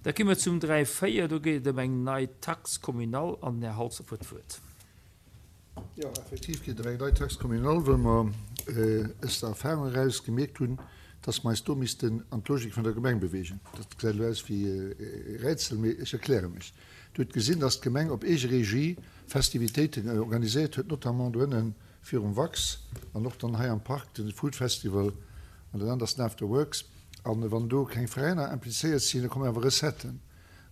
Da gi mer zum 3, 4, do geet et ëm eng nei Taxe communale an den Här Halsdorf huet d'Wuert. Jo, effektiv geet et ëm eng nei Taxe communale, well mer aus der Erfahrung eraus gemierkt hunn, dass mer eis do missten an d'Logik vun der Gemeng bewegen. Dat gesäit elo aus wéi e Rätsel, mee ech erkläre mech. Dir hutt gesinn, dass d'Gemeng op eege Regie Festivitéiten organiséiert huet, notamment doënnen virum Wax an och dann hei am Park de Food Festival an dat anert ass den After Works. A wann do keng Veräiner implizéiert sinn, da kommen awer Recetten.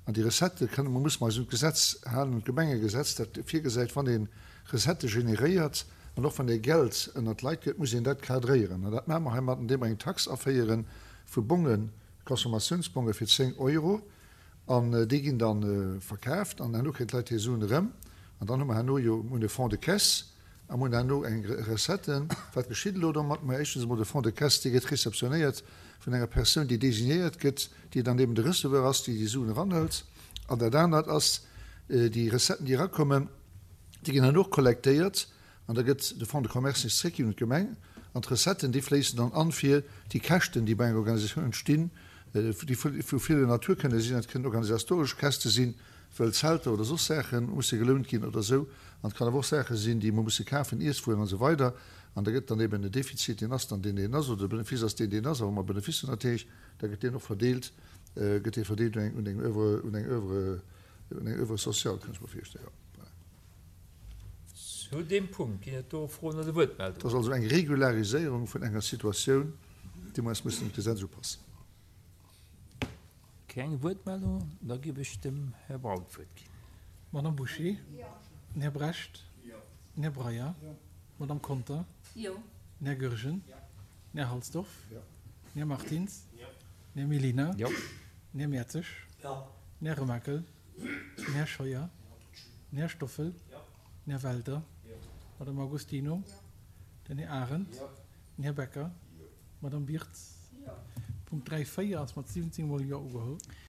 An déi Recettë kënne mer, musse mer eis un d'Gesetz halen, un d'Gemengegesetz, dat virgesäit, wann ee Recettë generéiert an och wann ee Geld ënnert d'Leit gëtt, muss een dat cadréieren. An dat maache mer heimat, andeem mer eng Tax aféiere vu Bongen, Consommatiounsbonge fir 10 Euro. An déi ginn da verkaaft an herno kréien d'Leit hir Suen erëm. An dann hu mer herno jo, mir hunn e Fonds de caisse, A mir hunn herno eng Recette. Wat geschitt elo domat? Mä éischtens emol, de Fonds de caisse, dee gëtt réceptionnéiert vun enger Persoun, déi désignéiert gëtt, déi dann eben de Receveur ass, déi déi Suen eranhëlt. An dat anert ass, déi Recetten, déi erakommen, déi ginn herno och kollektéiert an da gëtt de Fonds de commerce nees zréckginn un d'Gemeng. An d'Recetten, déi fléissen dann an, fir déi Käschten, déi bei enger Organisatioun entstinn, déi vu ville Natur kënne sinn, dat kënnen organisatoresch Käschte sinn, well Zelter oder soss Saache musse gelount ginn oder esou, an et kann awer och Saache sinn, déi mer musse kafen, Iesswueren an esou weider, an da gëtt dann eben den Defizit, deen ass dann deen, deen ass, oder de Benefice ass deen, deen ass, a wa mer Benefice hunn natierlech, da gëtt deen och verdeelt, gëtt dee verdeelt un eng, un eng Oeuvre, un eng Oeuvre, un eng Oeuvre sociale, kann ech mer virstellen, jo. Voilà. Zu deem Punkt ginn et do Froen oder Wuertmeldungen? Dat ass also eng Regulariséierung vun enger Situatioun, déi mer eis mussen un d'Gesetz upassen. Keng Wuertmeldungen? Da géif ech dem Här Braun d'Wuert ginn. Madame Bouché? Den Här Brecht? Den Här Breyer? D'Madame Conter? Den Här Goergen? Den Här Halsdorf? Den Här Martins? Den Här Mellina? Den Här Mertzig? Den Här Remakel? Den Här Scheuer? Den Här Stoffel? Den Här Welter? D'Madame Agostino? Den Här Arendt? Den Här Becker? D'Madame Birtz? Punkt 3, 4 ass mat 17 mol Jo ugeholl.